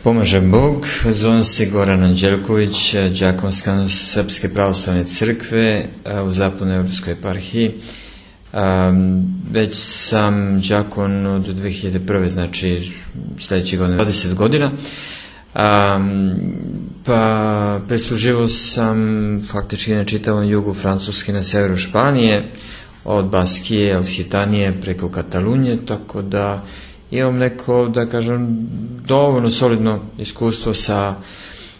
Pomaže Bog, zovem se Goran Anđelković, đakon Srpske pravoslavne crkve u Zapadnoj Evropskoj eparhiji. Već sam đakon od 2001. znači sledeće godine 20 godina. Pa presluživao sam faktički na čitavom jugu Francuske, na severu Španije, od Baskije, Oksitanije preko Katalunije, tako da imam neko, da kažem, dovoljno solidno iskustvo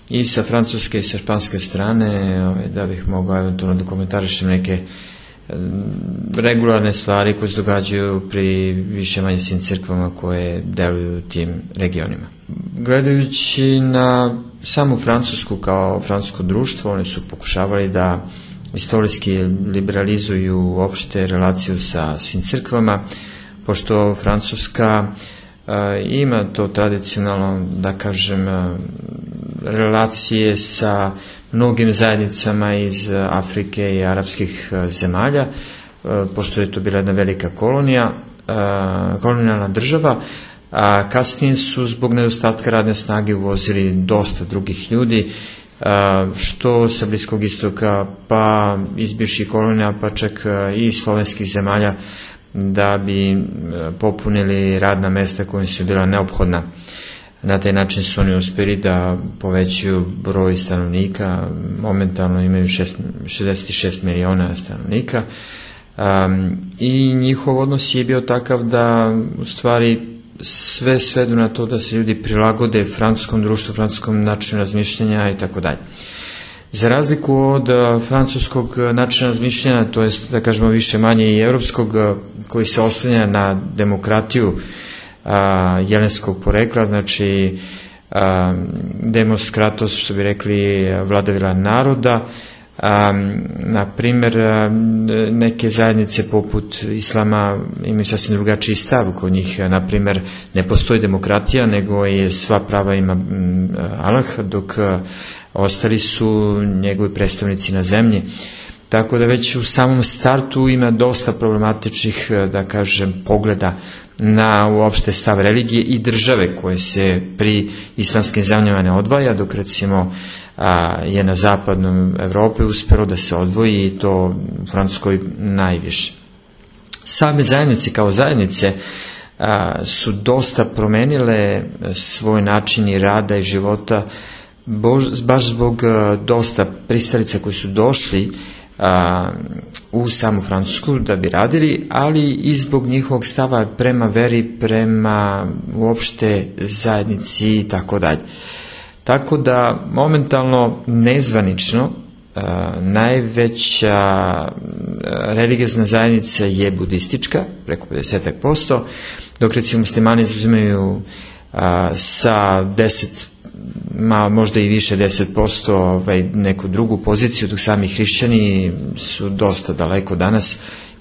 i sa francuske i sa španske strane, da bih mogao eventualno da komentarišem neke regularne stvari koje se događaju pri više manje svim crkvama koje deluju u tim regionima. Gledajući na samu Francusku kao francusko društvo, oni su pokušavali da istorijski liberalizuju uopšte relaciju sa svim crkvama, pošto Francuska ima to tradicionalno, da kažem, relacije sa mnogim zajednicama iz Afrike i arapskih zemalja, pošto je to bila jedna velika kolonijalna država, a kasnije su zbog nedostatka radne snage uvozili dosta drugih ljudi, što sa Bliskog istoka, pa iz bivših kolonija, pa čak i slovenskih zemalja, da bi popunili radna mesta koja su bila neophodna. Na taj način su oni uspeli da povećaju broj stanovnika, momentalno imaju 66 miliona stanovnika, i njihov odnos je bio takav da u stvari sve svedu na to da se ljudi prilagode francuskom društvu, francuskom načinu razmišljanja i tako dalje. Za razliku od francuskog načina razmišljanja, to je, da kažemo, više manje i evropskog, koji se oslanja na demokratiju jelenskog porekla, znači demos kratos, što bi rekli, vladavina naroda. Na primer, neke zajednice poput islama imaju sasvim drugačiji stav. Kod njih, na primer, ne postoji demokratija, nego je sva prava ima Allah, dok ostali su njegovi predstavnici na zemlji. Tako da već u samom startu ima dosta problematičnih, da kažem, pogleda na uopšte stav religije i države koje se pri islamskim zemljama ne odvaja, dok recimo je na zapadnom Evropi uspelo da se odvoji, i to u Francuskoj najviše. Same zajednice kao zajednice su dosta promenile svoj način i rada i života, baš zbog dosta pristalica koji su došli u samu Francusku da bi radili, ali i zbog njihovog stava prema veri, prema uopšte zajednici i tako dalje. Tako da momentalno nezvanično najveća religiozna zajednica je budistička, preko 50%, dok recimo muslimani zauzimaju sa 10%, možda i više 10%, neku drugu poziciju, dok sami hrišćani su dosta daleko danas,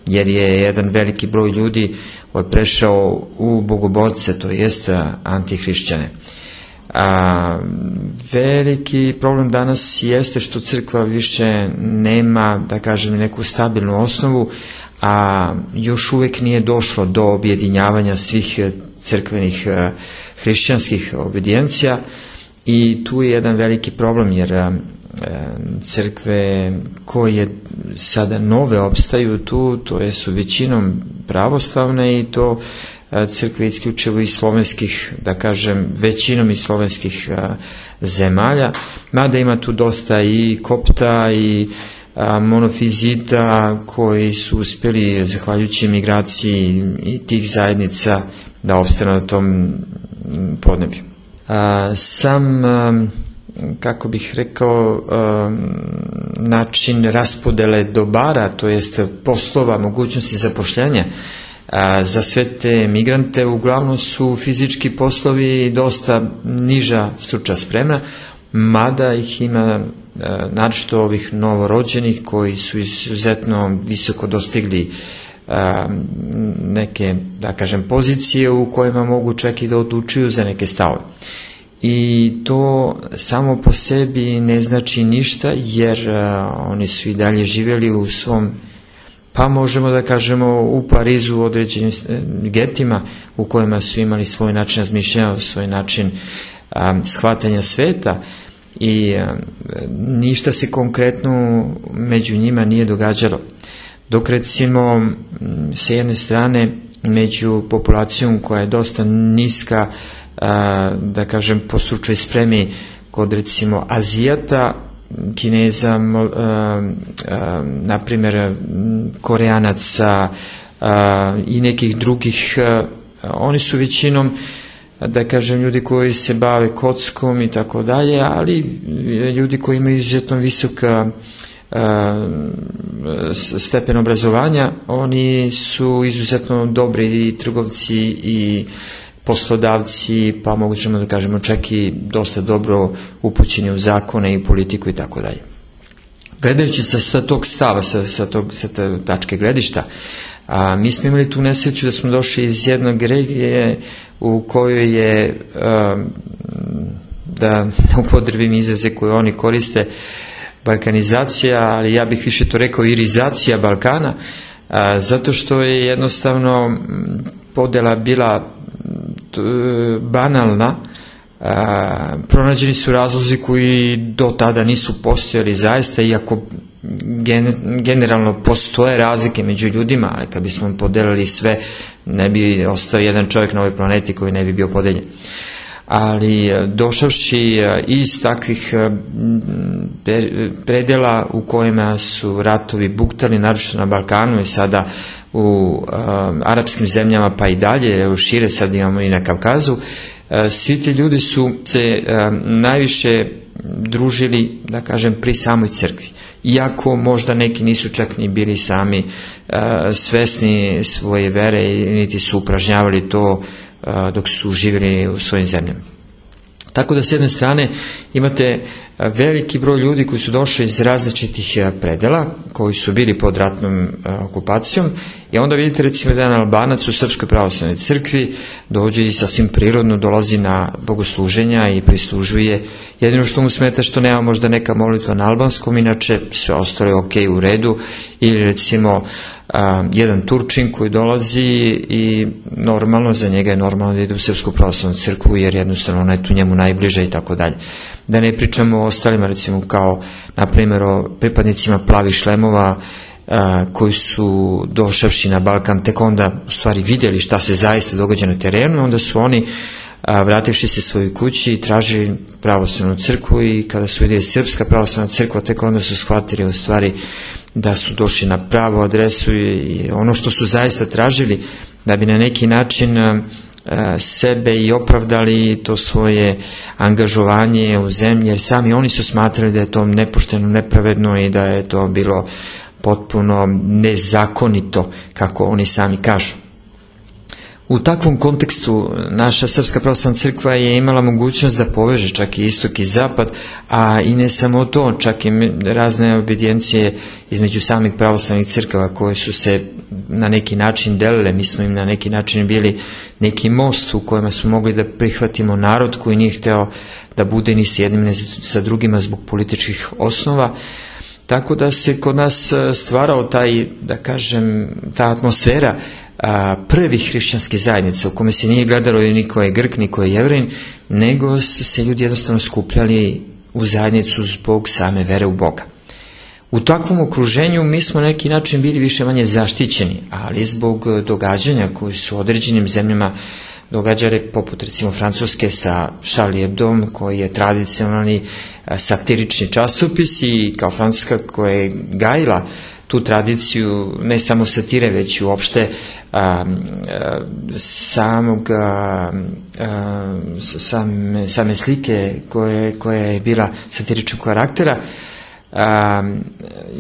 jer je jedan veliki broj ljudi prešao u bogoborce, to jest antihrišćane. Veliki problem danas jeste što crkva više nema, da kažem, neku stabilnu osnovu, a još uvek nije došlo do objedinjavanja svih crkvenih hrišćanskih obedijencija, i tu je jedan veliki problem, jer crkve koje sada nove opstaju tu, to su većinom pravoslavne, i to crkve isključivo iz slovenskih, da kažem, većinom iz slovenskih zemalja, mada ima tu dosta i kopta i monofizita koji su uspjeli, zahvaljujući migraciji i tih zajednica, da opstanu na tom podneblju. Sam, kako bih rekao, način raspodele dobara, to jest poslova, mogućnosti zapošljanja za sve te migrante, uglavnom su fizički poslovi i dosta niža stručna sprema, mada ih ima naročito ovih novorođenih koji su izuzetno visoko dostigli neke, da kažem, pozicije u kojima mogu čak i da odlučuju za neke stavove. I to samo po sebi ne znači ništa, jer oni su i dalje živjeli u svom, pa možemo da kažemo, u Parizu u određenim getima u kojima su imali svoj način razmišljanja, svoj način shvatanja sveta i ništa se konkretno među njima nije događalo. Dok recimo sa jedne strane među populacijom koja je dosta niska, da kažem po stručnoj spremi kod recimo Azijata, Kineza, na primjer Koreanaca i nekih drugih, oni su većinom, da kažem, ljudi koji se bave kockom i tako dalje, ali ljudi koji imaju izuzetno visok stepen obrazovanja, oni su izuzetno dobri i trgovci i poslodavci, pa možemo da kažemo čak i dosta dobro upućeni u zakone i politiku i tako dalje. Gledajući sa tog stava, sa te tačke gledišta, mi smo imali tu nesreću da smo došli iz jednog regije u kojoj je, da upotrebim izraze koje oni koriste, balkanizacija, ali ja bih više to rekao irizacija Balkana, zato što je jednostavno podela bila banalna. Pronađeni su razlozi koji do tada nisu postojali zaista, iako generalno postoje razlike među ljudima, ali kad bismo podelili sve, ne bi ostao jedan čovjek na ovoj planeti koji ne bi bio podeljen. Ali došavši iz takvih predela u kojima su ratovi buktali, naročito na Balkanu i sada u arapskim zemljama, pa i dalje, evo šire sad imamo i na Kavkazu, svi ti ljudi su se najviše družili, da kažem, pri samoj crkvi. Iako možda neki nisu čak ni bili sami svesni svoje vere, niti su upražnjavali to dok su živjeli u svojim zemljama. Tako da s jedne strane imate veliki broj ljudi koji su došli iz različitih predela, koji su bili pod ratnom okupacijom, i onda vidite recimo da jedan Albanac u Srpskoj pravoslavnoj crkvi dođe i sasvim prirodno dolazi na bogosluženja i prislužuje. Jedino što mu smeta što nema možda neka molitva na albanskom, inače sve ostalo je ok, u redu. Ili recimo jedan Turčin koji dolazi i normalno, za njega je normalno da ide u Srpsku pravoslavnu crkvu jer jednostavno ona je tu njemu najbliža i tako dalje. Da ne pričamo o ostalima, recimo kao na primjer o pripadnicima plavih šlemova koji su došavši na Balkan tek onda u stvari vidjeli šta se zaista događa na terenu, i onda su oni vrativši se svojoj kući tražili pravoslavnu crkvu, i kada su vidjeli Srpska pravoslavna crkva, tek onda su shvatili u stvari da su došli na pravu adresu i ono što su zaista tražili da bi na neki način sebe i opravdali to svoje angažovanje u zemlji, jer sami oni su smatrali da je to nepošteno, nepravedno i da je to bilo potpuno nezakonito, kako oni sami kažu. U takvom kontekstu naša Srpska pravoslavna crkva je imala mogućnost da poveže čak i istok i zapad, a i ne samo to, čak i razne obedijencije između samih pravoslavnih crkava koje su se na neki način delile. Mi smo im na neki način bili neki most u kojima smo mogli da prihvatimo narod koji nije hteo da bude ni s jednim ni sa drugima zbog političkih osnova. Tako da se kod nas stvarao taj, da kažem, ta atmosfera prvih hrišćanskih zajednica u kome se nije gledalo ni ko je Grk, ni ko je Jevrin, nego su se ljudi jednostavno skupljali u zajednicu zbog same vere u Boga. U takvom okruženju mi smo na neki način bili više manje zaštićeni, ali zbog događanja koji su u određenim zemljama događale, poput recimo Francuske sa Charlie Hebdom, koji je tradicionalni satirični časopis, i kao Francuska koja je gajila tu tradiciju ne samo satire, već i uopšte same slike koja je bila satiričnog karaktera.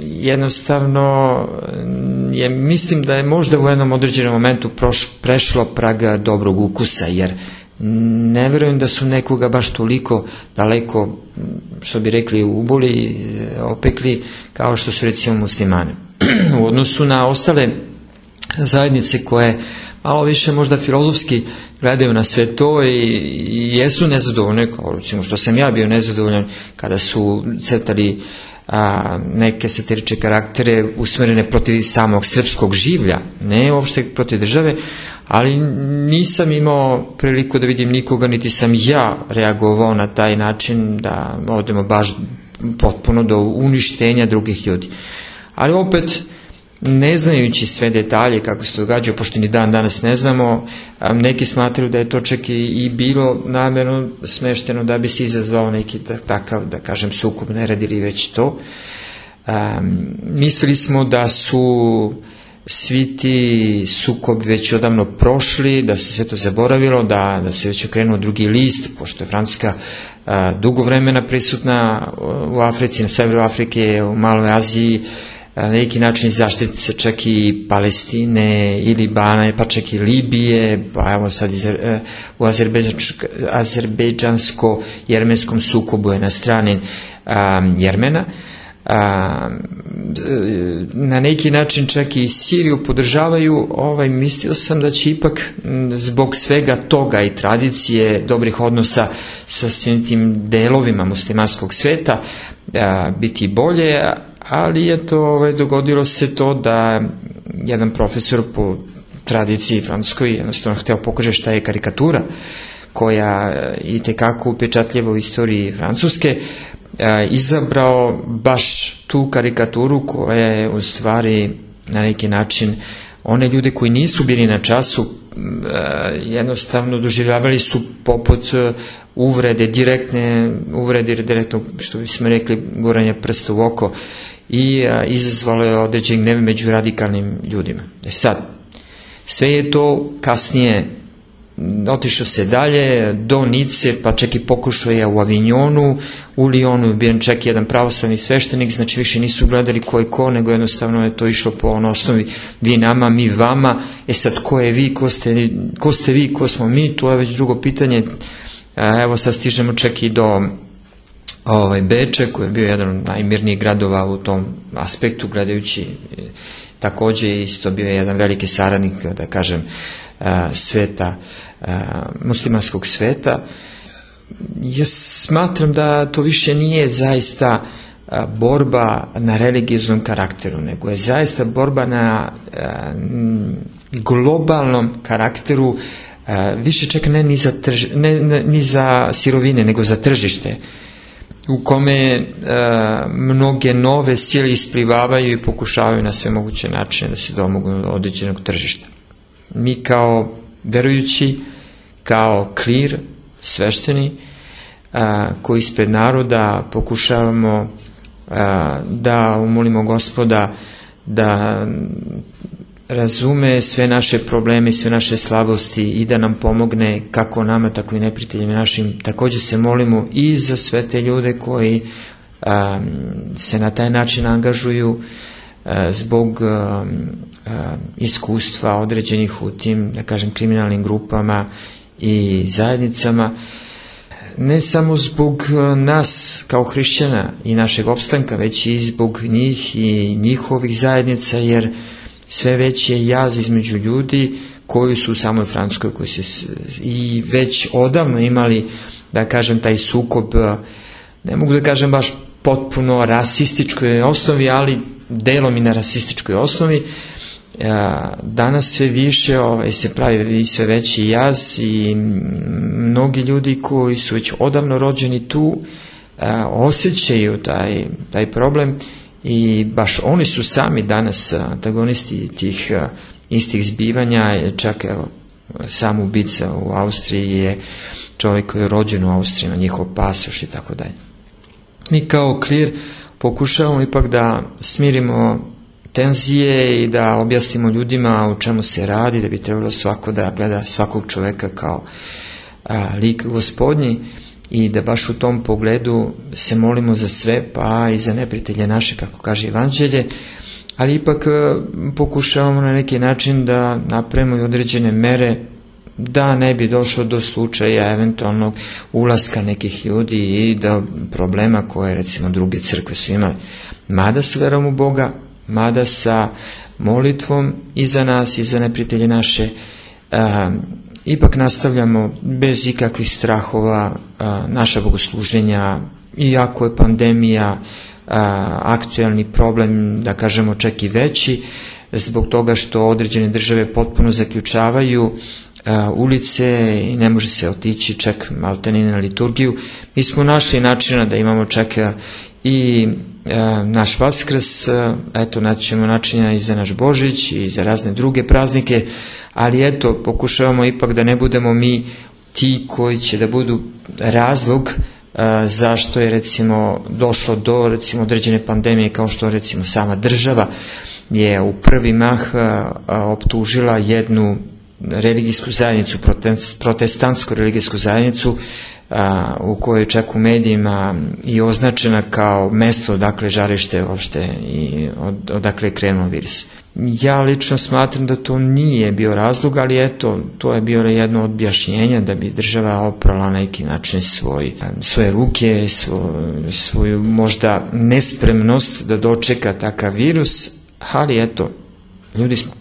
Jednostavno mislim da je možda u jednom određenom momentu prešlo prag dobrog ukusa, jer ne verujem da su nekoga baš toliko daleko, što bi rekli, uboli, opekli kao što su recimo muslimani. U odnosu na ostale zajednice koje malo više možda filozofski gledaju na sve to i jesu nezadovoljne, kao recimo što sam ja bio nezadovoljan kada su crtali neke satirične karaktere usmerene protiv samog srpskog življa, ne uopšte protiv države, ali nisam imao priliku da vidim nikoga, niti sam ja reagovao na taj način da odemo baš potpuno do uništenja drugih ljudi. Ali opet, ne znajući sve detalje kako se to događa, pošto ni dan danas ne znamo, neki smatraju da je to čak i bilo namjerno smešteno da bi se izazvao neki takav, da kažem, sukob, ne radili već to. Mislili smo da su svi ti sukob već odavno prošli, da se sve to zaboravilo, da se već okrenuo drugi list, pošto je Francuska dugo vremena prisutna u Africi, na severu Afrike, u Maloj Aziji, na neki način zaštiti se čak i Palestine i Libana, pa čak i Libije, pa evo sad u azerbejdžansko-jermenskom sukobu je na strani Jermena. Na neki način čak i Siriju podržavaju. Mislio sam da će ipak zbog svega toga i tradicije, dobrih odnosa sa svim tim delovima muslimanskog sveta biti bolje, ali je to dogodilo se to da jedan profesor po tradiciji francuskoj jednostavno hteo pokaže šta je karikatura, koja i tekako upečatljiva u istoriji Francuske, izabrao baš tu karikaturu koja je u stvari na neki način one ljude koji nisu bili na času jednostavno doživljavali su poput uvrede, direktne uvrede, direktno, što bismo rekli, guranje prsta u oko, i izazvalo je određen gnev među radikalnim ljudima. Sad, sve je to kasnije otišao se dalje do Nice, pa čak i pokušao je u Avignonu, u Lyonu je bio čak jedan pravoslavni sveštenik, znači više nisu gledali ko je ko, nego jednostavno je to išlo po osnovi vi nama, mi vama. Sad, ko je vi, ko ste vi, ko smo mi, to je već drugo pitanje. Evo sad stižemo čak i do Beča, koji je bio jedan od najmirnijih gradova u tom aspektu, gledajući također isto bio je jedan veliki saradnik, da kažem, sveta, muslimanskog sveta. Ja smatram da to više nije zaista borba na religioznom karakteru, nego je zaista borba na globalnom karakteru, više čak ne ni za sirovine, nego za tržište, u kome mnoge nove sile isplivavaju i pokušavaju na sve moguće načine da se domognu do određenog tržišta. Mi kao verujući, kao klir, svešteni, koji ispred naroda pokušavamo da umolimo Gospoda da razume sve naše probleme i sve naše slabosti i da nam pomogne kako nama, tako i neprijateljima našim. Također se molimo i za sve te ljude koji se na taj način angažuju zbog iskustva određenih u tim, da kažem, kriminalnim grupama i zajednicama, ne samo zbog nas kao hrišćana i našeg opstanka, već i zbog njih i njihovih zajednica, jer sve veći je jaz između ljudi koji su u samoj Francuskoj, koji se i već odavno imali, da kažem, taj sukob, ne mogu da kažem baš potpuno rasističkoj osnovi, ali delom i na rasističkoj osnovi. Danas sve više se pravi sve veći jaz i mnogi ljudi koji su već odavno rođeni tu osjećaju taj problem i baš oni su sami danas antagonisti tih istih zbivanja. Čak evo, sam ubica u Austriji je čovjek koji je rođen u Austriji, ima njihov pasoš i tako dalje. Mi kao klir pokušavamo ipak da smirimo tenzije i da objasnimo ljudima o čemu se radi, da bi trebalo svako da gleda svakog čovjeka kao lik Gospodnji i da baš u tom pogledu se molimo za sve, pa i za neprijatelje naše, kako kaže Evanđelje, ali ipak pokušavamo na neki način da napravimo i određene mere da ne bi došlo do slučaja eventualnog ulaska nekih ljudi i do problema koje recimo druge crkve su imali. Mada s verom u Boga, mada sa molitvom i za nas i za neprijatelje naše, ipak nastavljamo bez ikakvih strahova naša bogosluženja, iako je pandemija aktuelni problem, da kažemo čak i veći, zbog toga što određene države potpuno zaključavaju ulice i ne može se otići čak maltene na liturgiju. Mi smo našli načina da imamo čak i naš Vaskrs, eto, naći ćemo načina i za naš Božić i za razne druge praznike, ali eto, pokušavamo ipak da ne budemo mi ti koji će da budu razlog zašto je recimo došlo do recimo određene pandemije, kao što recimo sama država je u prvi mah optužila jednu religijsku zajednicu, protestantsku religijsku zajednicu, u kojoj čak u medijima i označena kao mesto odakle žarište uopšte i odakle je krenuo virus. Ja lično smatram da to nije bio razlog, ali eto, to je bilo jedno od objašnjenja da bi država oprala na neki način svoje ruke, svoju možda nespremnost da dočeka takav virus, ali eto, ljudi smo.